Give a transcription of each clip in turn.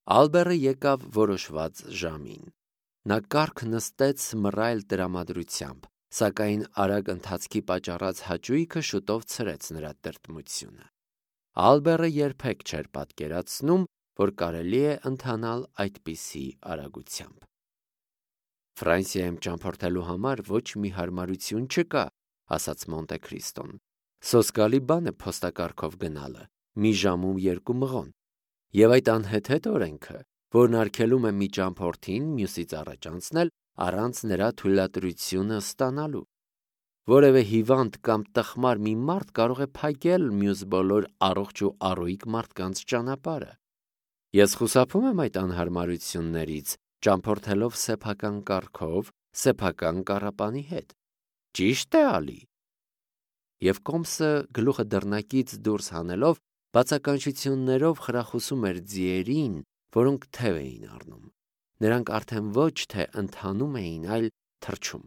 Ալբերը եկավ որոշված ժամին։ Նա կառք նստեց մռայլ տրամադրությամբ, սակայն արագ ընթացքի պատճառած հաճույքը շուտով ցրեց նրա տրտմությունը։ Ալբերը երբեք չէր պատկերացնում, որ կարելի է ընթանալ այդպիսի արագությամբ։ Ֆրանսիայում ճամփորդելու համար ոչ մի հարմարություն չկա, ասաց Մոնտե Քրիստոն։ Սոսկալի բան է փոստակառքով գնալը, մի ժամում 2 մղոն, եւ այդ անհեթեթ օրենքը, որն արգելում է մի ճամփորդին մյուսից առաջ անցնել առանց նրա թույլատրությունը ստանալու։ Որևէ հիվանդ կամ տխմար մի մարդ կարող է փակել մյուս բոլոր առողջ ու առույգ մարդկանց ճանապարհը։ Ես խուսափում եմ այդ անհարմարություններից, ճամփորդելով սեփական կառքով, սեփական կառապանի հետ։ Ճիշտ է, Ալի։ Եվ Կոմսը գլուխը դռնակից դուրս հանելով բացականչություններով խրախուսում էր ձիերին, որոնք թև էին առնում։ Նրանք արդեն ոչ թե ընթանում էին, այլ թռչում։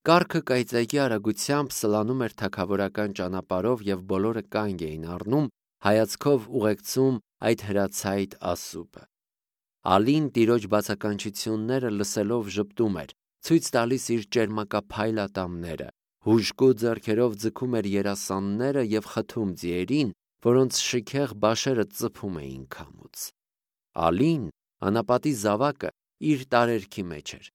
Կառքը կայծակի արագությամբ սլանում էր թագավորական ճանապարհով եւ բոլորը կանգ էին առնում, հայացքով ուղեկցում այդ հրացայտ ասուպը։ Ալին տիրոջ բացականչությունները լսելով ժպտում էր, ցույց տալիս իր ճերմակափայլ ատամները, հուժկու ձեռքերով ձգում էր երասանները եւ խթում ձիերին, որոնց շքեղ բաշերը ծփում էին քամուց։ Ալին, անապատի զավակը, իր տարերքի մեջ էր։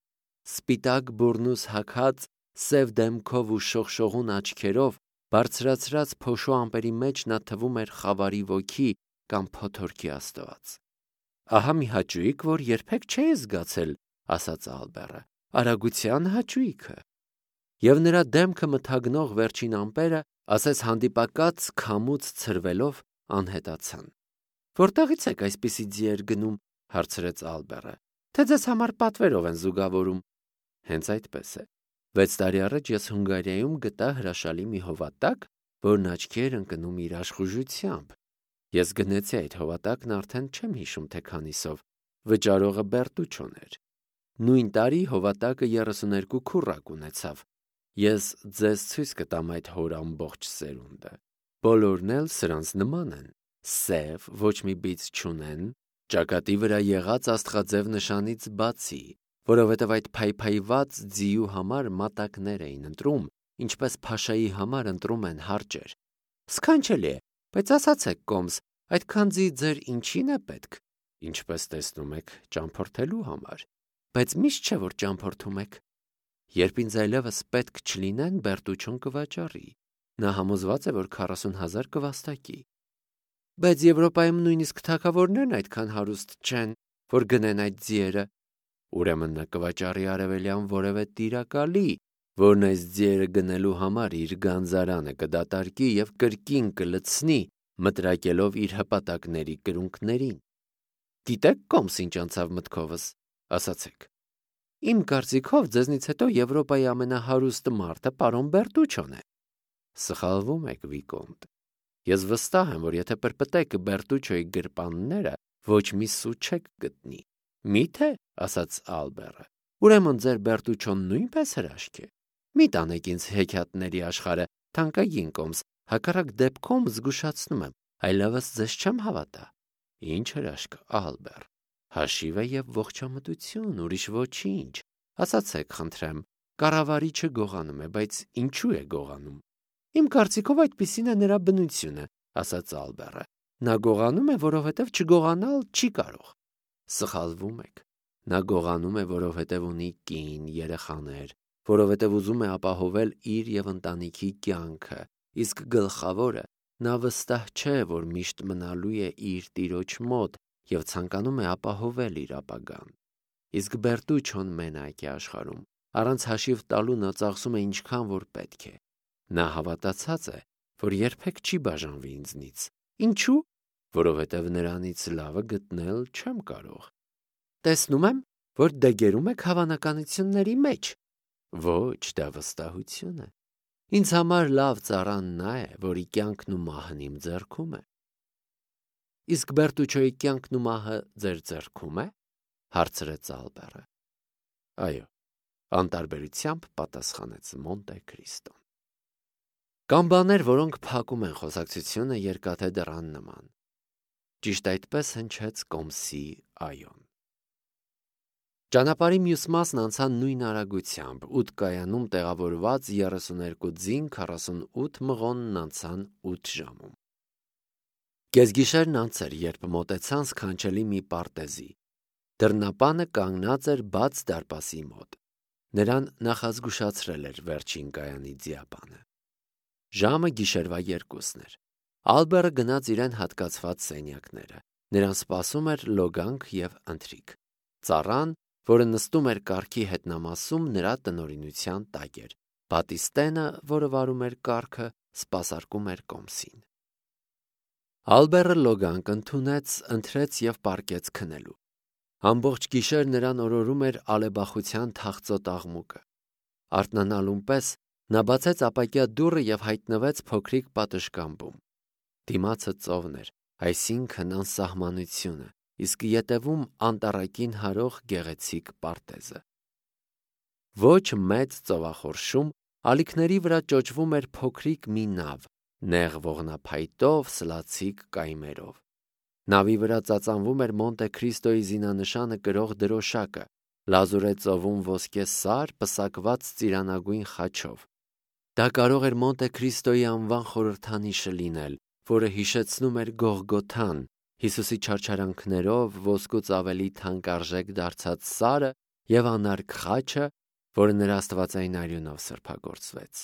Սպիտակ բուրնուս հագած, սև դեմքով ու շողշողուն աչքերով, բարձրացրած փոշու ամպերի մեջ նա թվում էր խավարի ոգի կամ փոթորկի աստված։ Ահա մի հաճույք, որ երբեք չէի զգացել, ասաց Ալբերը, արագության հաճույքը։ Եվ նրա դեմքը մթագնող վերջին ամպերը, ասես հանդիպակաց քամուց ցրվելով, անհետացան։ Որտեղից եք այսպիսի ձիեր գնում, հարցրեց Ալբերը, թե ձեզ համար պատվերով են զուգավորում։ Հենց այդպես է։ 6 տարի առաջ ես Հունգարիայում գտա հրաշալի մի հովատակ, որն աչքի էր ընկնում իր աշխուժությամբ։ Ես գնեցի այդ հովատակն արդեն չեմ հիշում թե քանիսով, վճարողը Բերտուչոն էր։ Նույն տարի հովատակը 32 քուռակ ունեցավ։ Ես ձեզ ցույց կտամ այդ հոր ամբողջ սերունդը։ Բոլորն էլ սրանց նման են, սև, ոչ մի բիծ չունեն, ճակատի վրա եղած աստղաձև նշանից բացի, որովհետև այդ փայփայված ձիու համար մատակներ էին ընտրում, ինչպես փաշայի համար ընտրում են հարճեր։ Սքանչելի է, բայց ասացեք, Կոմս, այդքան ձի ձեր ինչին է պետք։ Ինչպես տեսնում եք, ճամփորդելու համար։ Բայց միշտ չէ, որ ճամփորդում եք։ Երբ ինձ այլևս պետք չլինեն, Բերտուչոն կվաճառի։ Նա համոզված է, որ 40,000 կվաստակի։ Բայց Եվրոպայում նույնիսկ թագավորներն այդքան հարուստ չեն, որ գնեն այդ ձիերը։ Ուրեմն նա կվաճառի արևելյան որևէ տիրակալի, որն այս ձիերը գնելու համար իր գանձարանը կդատարկի եւ կրկին կլցնի, մտրակելով իր հպատակների կրունկներին։ Գիտեք, Կոմս, ինչ անցավ մտքովս, ասացեք։ Իմ կարծիքով ձեզնից հետո Եվրոպայի ամենահարուստը մարդը պարոն Բերտուչոն է։ Սխալվում եք, Վիկոնտ։ Ես վստահ եմ, որ եթե պրպտեք Բերտուչոյի գրպանները, ոչ մի սու չեք գտնի։ Միթե, ասաց Ալբերը, ուրեմն ձեր Բերտուչոն նույնպես հրաշք է։ Մի տանեք ինձ հեքիաթների աշխարհը, թանկագին Կոմս, հակառակ դեպքում զգուշացնում եմ, այլևս ձեզ չեմ հավատա։ Ինչ հրաշք, Ալբեր։ Հաշիվ է եւ ողջամտություն, ուրիշ ոչինչ։ Ասացեք, խնդրեմ, կառավարիչը գողանում է, բայց ինչու է գողանում։ Իմ կարծիքով այդպիսին է նրա բնությունը, ասաց Ալբերը։ Նա գողանում է, որովհետև չգողանալ չի կարող։ Սխալվում եք։ Նա գողանում է, որովհետև ունի կին, երեխաներ, որովհետև ուզում է ապահովել իր եւ ընտանիքի կյանքը, իսկ գլխավորը նա վստահ չէ, որ միշտ մնալու է իր տիրոջ մոտ եւ ցանկանում է ապահովել իր ապագան։ Իսկ Բերտուչոն մենակ է աշխարհում, առանց հաշիվ տալու նա ծախսում է ինչքան որ պետք է։ Նա հավատացած է, որ երբեք չի բաժանվի ինձնից։ Ինչու՞։ Որովհետև նրանից լավը գտնել չեմ կարող։ Տեսնում եմ, որ դեգերում եք հավանականությունների մեջ։ Ոչ, դա վստահություն է։ Ինձ համար լավ ծառան նա է, որի կյանքն ու մահն իմ ձեռքում է։ Իսկ Բերտուչոյի կյանքն ու մահը ձեր ձեռքում է, հարցրեց Ալբերը։ Այո, անտարբերությամբ պատասխանեց Մոնտե Քրիստոն։ Կան բաներ, որոնք փակում են խոսակցությունը երկաթե դռան նման։ Ճիշտ այդպես հնչեց կոմսի այոն։ Ճանապարհի մյուս մասն անցան նույն արագությամբ, 8 կայանում տեղավորված 32 ձին 48 մղոնն անցան 8 ժամում։ Կեսգիշերն անց էր, երբ մոտեցան սքանչելի մի պարտեզի։ Դռնապանը կանգնած էր բաց դարպասի մոտ։ Նրան նախազգուշացրել էր վերջին կայանի ձիապանը։ Ժամը գիշերվա 2-ն էր։ Ալբերը գնաց իրեն հատկացված սենյակները։ Նրան սպասում էր լոգանք և ընթրիք։ Ծառան, որը նստում էր կառքի հետնամասում, նրա տնօրինության տակ էր։ Բատիստենը, որը վարում էր կառքը, սպասարկում էր կոմսին։ Ալբերը լոգանք ընդունեց, ընթրեց և պառկեց քնելու։ Ամբողջ գիշեր նրան օրորում էր ալեբախության թախծոտ աղմուկը։ Արթնանալուն պես նա բացեց ապակյա դուռը և հայտնվեց փոքրիկ պատշգամբում։ Դիմացը ծովն էր, այսինքն անսահմանությունը, իսկ ետևում անտառակին հարող գեղեցիկ պարտեզը։ Ոչ մեծ ծովախորշում ալիքների վրա ճոճվում էր փոքրիկ մի նավ, նեղ ողնափայտով, սլացիկ կայմերով։ Նավի վրա ծածանվում էր Մոնտե Քրիստոյի զինանշանը կրող դրոշակը, լազուր է ծովում ոսկե սար, պսակված ծիրանագույն խաչով։ Դա կարող էր Մոնտե Քրիստոյի անվան խորհրդանիշը լինել, որը հիշեցնում էր Գողգոթան, Հիսուսի չարչարանքներով ոսկուց ավելի թանկարժեք դարձած սարը և անարգ խաչը, որը նրա աստվածային արյունով սրբագործվեց։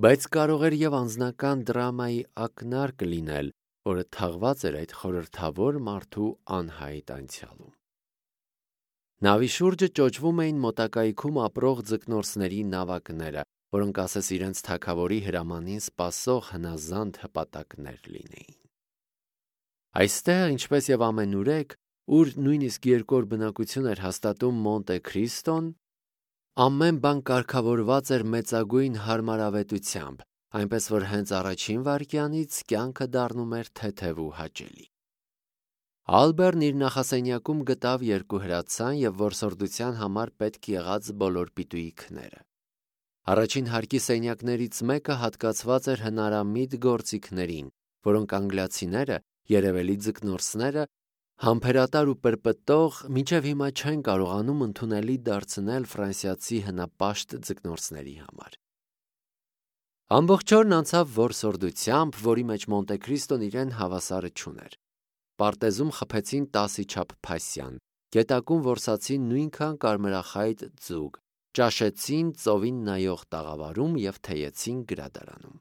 Բայց կարող էր և անձնական դրամայի ակնարկ լինել, որը թաղված էր այդ խորհրդավոր մարդու անհայտ անցյալում։ Նավի շուրջը ճոճվում էին մոտակայքում ապրող ձկնորսների նավակները, որոնք ասես իրենց թագավորի հրամանին սպասող հնազանդ հպատակներ լինեին։ Այստեղ, ինչպես և ամենուրեք, ուր նույնիսկ երկու օր բնակություն էր հաստատում Մոնտե Քրիստոն, ամեն բան կարգավորված էր մեծագույն հարմարավետությամբ, այնպես որ հենց առաջին վայրկյանից կյանքը դառնում էր թեթև ու հաճելի։ Ալբերն իր նախասենյակում գտավ երկու հրացան և որսորդության համար պետք եղած բոլոր պիտույիքները։ Առաջին հարկի սենյակներից մեկը հատկացված էր հնարամիտ գործիքներին, որոնք անգլիացիները, երևելի ձկնորսները, համբերատար ու պրպտող, մինչև հիմա չեն կարողանում ընդունելի դարձնել ֆրանսիացի հնապաշտ ձկնորսների համար։ Ամբողջ օրն անցավ որսորդությամբ, որի մեջ Մոնտե Քրիստոն իրեն հավասարը չուներ։ Պարտեզում խփեցին 10-ի չափ փասյան, գետակում որսացին նույնքան կարմրախայտ ձուկ, ճաշեցին ծովին նայող տաղավարում և թեյեցին գրադարանում։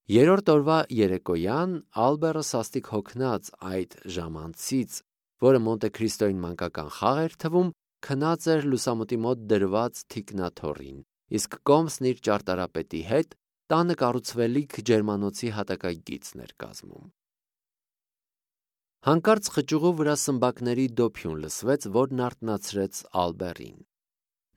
Երրորդ օրվա երեկոյան Ալբերը սաստիկ հոգնած այդ ժամանցից, որը Մոնտե Քրիստոյին մանկական խաղ էր թվում, քնած էր լուսամուտի մոտ դրված թիկնաթոռին, իսկ կոմսն իր ճարտարապետի հետ տանը կառուցվելիք ջերմանոցի հատակագիծն էր կազմում։ Հանկարծ խճուղու վրա սմբակների դոփյուն լսվեց, որն արթնացրեց Ալբերին։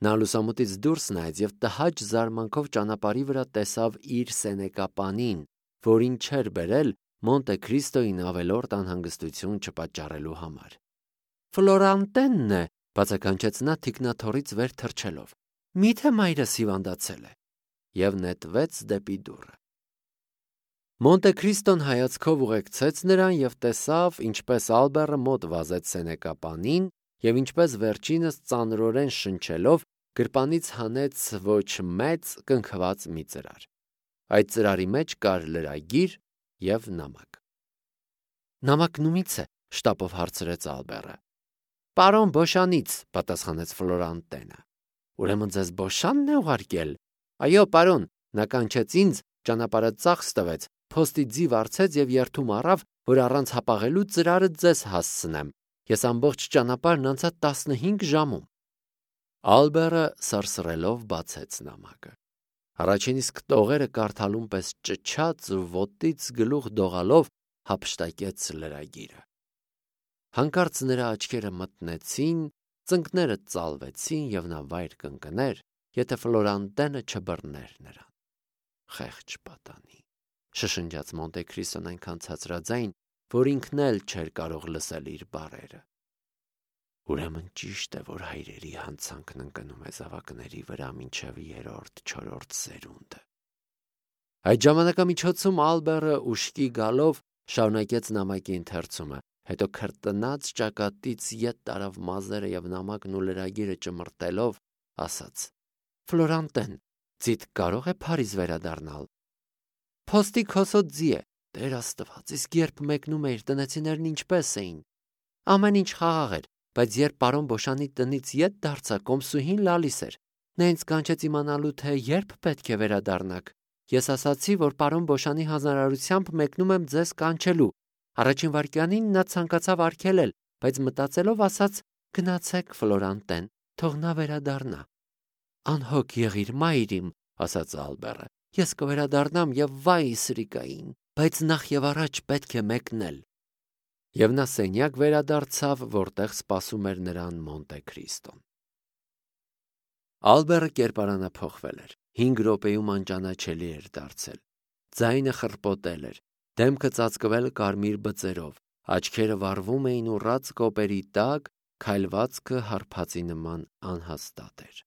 Նա լուսամուտից դուրս նայեց և տհաճ զարմանքով ճանապարհի վրա տեսավ իր սենեկապանին, որին չէր բերել Մոնտե Քրիստոյին ավելորդ անհանգստություն չպատճառելու համար։ «Ֆլորանտենն է», բացականչեց նա թիկնաթոռից վեր թռչելով։ «Մի՞թե մայրս հիվանդացել է» և նետվեց դեպի դուռը։ Մոնտե Քրիստոն հայացքով ուղեկցեց նրան և տեսավ, ինչպես Ալբերը մոտ վազեց սենեկապանին և ինչպես վերջինս ծանրորեն շնչելով գրպանից հանեց ոչ մեծ կնքված մի ծրար։ Այդ ծրարի մեջ կար լրագիր և նամակ։ «Նամակն ումի՞ց է», շտապով հարցրեց Ալբերը։ «Պարոն Բոշանից», պատասխանեց Ֆլորանտենը։ «Ուրեմն ձեզ Բոշանն է ուղարկել»։ «Այո, պարոն, նա կանչեց ինձ, ճանապարհը ծախս տվեց, փոստի ձիվ արձեց և երդում առավ, որ առանց հապաղելու ծրարը ձեզ հասցնեմ։ Ես ամբողջ ճանապարհն անցա 15 ժամում»։ Ալբերը սրսռելով բացեց նամակը։ Առաջին իսկ տողերը կարդալուն պես ճչաց ու ոտից գլուխ դողալով հափշտակեց լրագիրը։ Հանկարծ նրա աչքերը մթնեցին, ծնկները ծալվեցին և նա վայր կընկներ, եթե Ֆլորանտենը չբռներ նրան։ «Խեղճ պատանի», շշնջաց Մոնտե Քրիստոն այնքան ցածրաձայն, որ ինքն էլ չէր կարող լսել իր բառերը։ «Ուրեմն ճիշտ է, որ հայրերի հանցանքն ընկնում է զավակների վրա մինչև 3-4 սերունդը»։ Այդ ժամանակամիջոցում Ալբերը ուշքի գալով Շարունակեց նամակի ընթերցումը, հետո քրտնած ճակատից ետ տարավ մազերը եւ նամակն ու լրագիրը ճմրտելով ասաց. «Ֆլորանտեն, ձիդ կարող է Փարիզ վերադառնալ»։ «Փոստի քոսոտ ձի է, Տեր Աստված, իսկ երբ մեկնում էիր, տնեցիներն ինչպես էին»։ «Ամեն ինչ խաղաղ էր, բայց երբ պարոն Բոշանի տնից ետ դարձա, կոմսուհին լալիս էր։ Նա ինձ կանչեց իմանալու, թե երբ պետք է վերադառնաք։ Ես ասացի, որ պարոն Բոշանի հանձնարարությամբ մեկնում եմ ձեզ կանչելու։ Առաջին վայրկյանին նա ցանկացավ արգելել, բայց մտածելով ասաց. «Գնացեք, Ֆլորանտեն, թող նա վերադառնա»։ «Անհոգ եղիր, մայր իմ», ասաց Ալբերը։ «Ես կվերադառնամ եւ վայ սրիկային, բայց նախ եւ առաջ պետք է մեկնել»։ Եվ նա սենյակ վերադարձավ, որտեղ սպասում էր նրան Մոնտե Քրիստոն։ Ալբերը կերպարանափոխվել էր, 5 րոպեում անճանաչելի էր դարձել։ Ձայնը խռպոտել էր, դեմքը ծածկվել կարմիր բծերով, աչքերը վառվում էին ուռած կոպերի տակ, քայլվածքը հարբածի նման անհաստատ էր։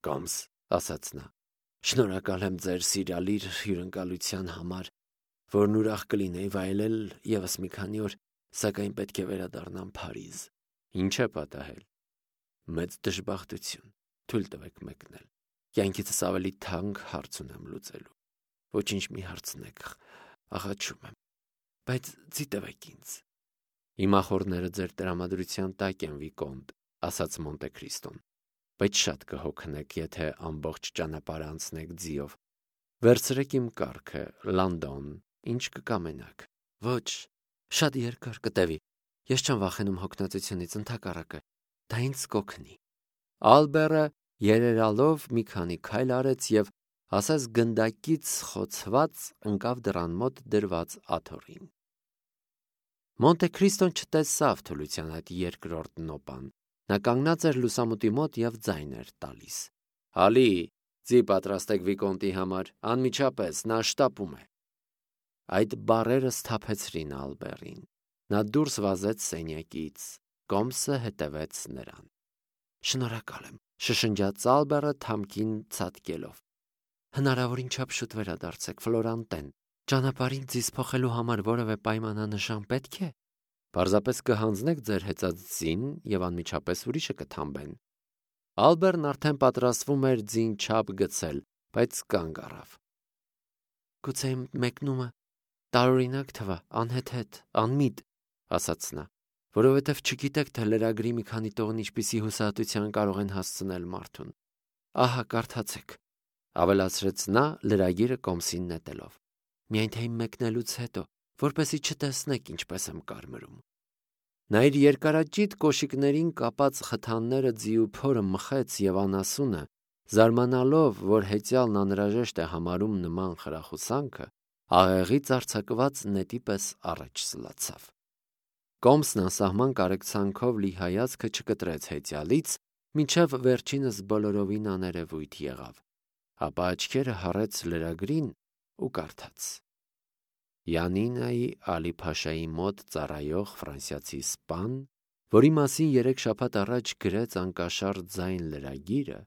«Կոմս», ասաց նա, «շնորհակալ եմ ձեր սիրալիր հյուրընկալության համար, որն ուրախ կլինեի վայելել ևս մի քանի օր, սակայն պետք է վերադառնամ Փարիզ»։ «Ինչ է պատահել»։ «Մեծ դժբախտություն, թույլ տվեք մեկնել։ Կյանքիցս ավելի թանկ հարց ունեմ լուծելու։ Ոչինչ մի հարցնեք, աղաչում եմ, բայց ցիտվեք ինձ»։ «Իմ ախորները ձեր տրամադրության տակ են, Վիկոնտ», ասաց Մոնտե Քրիստոն, «բայց շատ կհոգնեք, եթե ամբողջ ճանապարհը անցնեք ձիով։ Վերցրեք իմ կառքը, Լանդոն, ինչ կկամենաք։ Ոչ, շատ երկար կտևի։ Ես չեմ վախենում հոգնածությունից, ընդհակառակը, դա ինձ կօգնի»։ Ալբերը երերալով մի քանի քայլ արեց եւ ասես գնդակից խոցված ընկավ դռան մոտ դրված աթոռին։ Մոնտե Քրիստոն չտեսավ թուլության այդ երկրորդ նոպան։ Նա կանգնած էր լուսամուտի մոտ եւ ձայն էր տալիս։ «Ալի, ձի պատրաստեք Վիկոնտի համար, անմիջապես, նա շտապում է»։ Այդ բառերը սթափեցրին Ալբերին։ Նա դուրս վազեց սենյակից, Կոմսը հետևեց նրան։ «Շնորհակալ եմ», շշնջաց Ալբերը թամքին ցատկելով։ «Հնարավորին չափ շուտ վերադարձեք, Ֆլորանտեն։ Ճանապարհին ձիզ փոխելու համար որևէ պայմանանշան պետք է։ Պարզապես կհանձնեք ձեր հեծած ձին եւ անմիջապես ուրիշը կթամբեն»։ Ալբերն արդեն պատրաստվում էր ձին չափ գցել, բայց կանգ առավ։ «Գուցե իմ մեկնումը տարօրինակ թվա, անհեթեթ, անմիտ», ասաց նա, «որովհետև չգիտեք, թե լրագրի մի քանի տողն ինչպիսի հուսահատության կարող են հասցնել մարդուն։ Ահա, կարդացեք», ավելացրեց նա լրագիրը Կոմսին նետելով։ «Միայն թե իմ մեկնելուց հետո, որպեսզի չտեսնեք ինչպես եմ կարմրում»։ Նա իր երկարաճիտ կոշիկներին կապած խթանները ձիու փորը մխեց եւ անասունը, զարմանալով, որ հեծյալն անհրաժեշտ է համարում նման խրախուսանքը, աղեղից արձակված նետի պես առաջ սլացավ։ Կոմսն անսահման կարեկցանքով լի հայացքը չկտրեց հեծյալից, մինչև վերջինս բոլորովին աներևույթ եղավ, ապա աչքերը հառեց լրագրին ու կարդաց. Յանինայի Ալի-Փաշայի մոտ ծառայող ֆրանսիացի սպան, որի մասին 3 շաբաթ առաջ գրեց անկաշառ ձայն լրագիրը,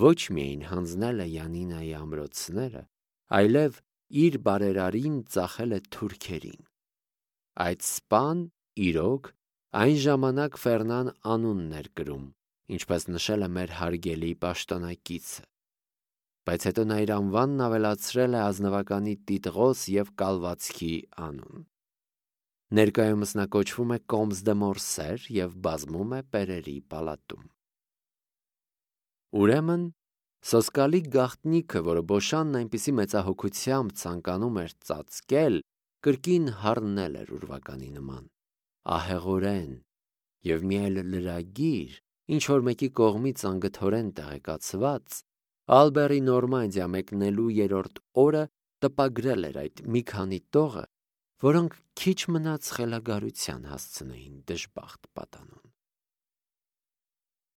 ոչ միայն հանձնել է Յանինայի ամրոցները, այլև իր բարերարին ծախել է թուրքերին։ Այդ սպան, իրոք, այն ժամանակ Ֆերնան անունն էր կրում, ինչպես նշել է մեր հարգելի պաշտոնակիցը, բայց հետո նա իր անվանն ավելացրել է ազնվականի Տիտղոս և կալվածքի անուն։ Ներկայումս նա կոչվում է Կոմս դե Մորսեր և բազմում է Պերերի պալատում։ Ուրեմն, սոսկալի գաղտնիքը, որը Բոշանն այնպիսի մեծահոգությամբ ցանկանում էր ծածկել, կրկին հառնել էր ուրվականի նման, ահեղորեն, և մի այլ լրագիր, ինչ-որ մեկի կողմից անգթորեն տեղեկացված, Ալբերի Նորմանդիա մեկնելու 3-րդ օրը տպագրել էր այդ մի քանի տողը, որոնք քիչ մնաց խելագարության հասցնեին դժբախտ պատանուն։